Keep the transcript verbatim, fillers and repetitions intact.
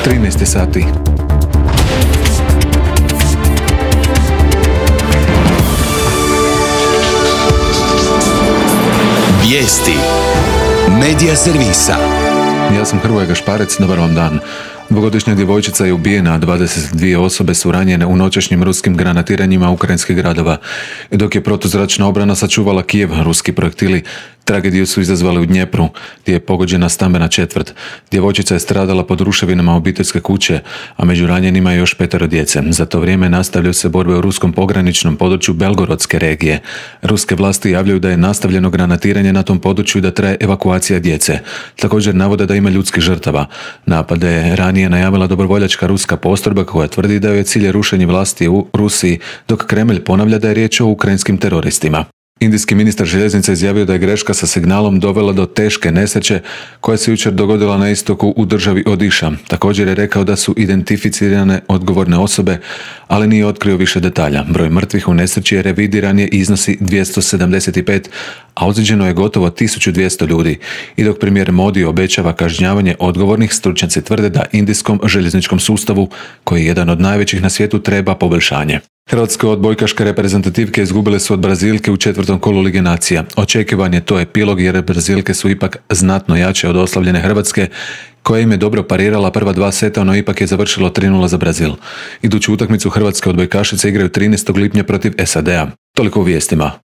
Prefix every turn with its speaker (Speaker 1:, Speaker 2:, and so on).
Speaker 1: trinaest sati.
Speaker 2: Vijesti Medija servisa.
Speaker 1: Ja sam Hrvoje Gašparec, dobar vam dan. Dvogodišnja djevojčica je ubijena, a dvadeset dvije osobe su ranjene u noćašnjim ruskim granatiranjima ukrajinskih gradova. I dok je protuzračna obrana sačuvala Kijev, ruski projektili tragediju su izazvali u Dnjepru, gdje je pogođena stambena četvrt. Djevojčica je stradala pod ruševinama obiteljske kuće, a među ranjenima je još petero djece. Za to vrijeme nastavljaju se borbe u ruskom pograničnom području Belgorodske regije. Ruske vlasti javljaju da je nastavljeno granatiranje na tom području i da traje evakuacija djece. Također navode da ima ljudskih žrtava. Napade je ranije najavila dobrovoljačka ruska postrojba koja tvrdi da je cilj rušenje vlasti u Rusiji, dok Kremlj ponavlja da je riječ o ukrajinskim teroristima. Indijski ministar željeznica izjavio da je greška sa signalom dovela do teške nesreće koja se jučer dogodila na istoku u državi Odiša. Također je rekao da su identificirane odgovorne osobe, ali nije otkrio više detalja. Broj mrtvih u nesreći je revidiran je iznosi dvjesto sedamdeset pet, a ozlijeđeno je gotovo tisuću dvjesto ljudi. I dok premijer Modi obećava kažnjavanje odgovornih, stručnjaci tvrde da indijskom željezničkom sustavu, koji je jedan od najvećih na svijetu, treba poboljšanje. Hrvatske odbojkaške reprezentativke izgubile su od Brazilke u četvrtom kolu Lige nacija. Očekivan je to epilog jer Brazilke su ipak znatno jače od oslavljene Hrvatske, koja im je dobro parirala prva dva seta, no ipak je završilo tri nula za Brazil. Iduću utakmicu hrvatske odbojkašice igraju trinaestog lipnja protiv S A D-a. Toliko u vijestima.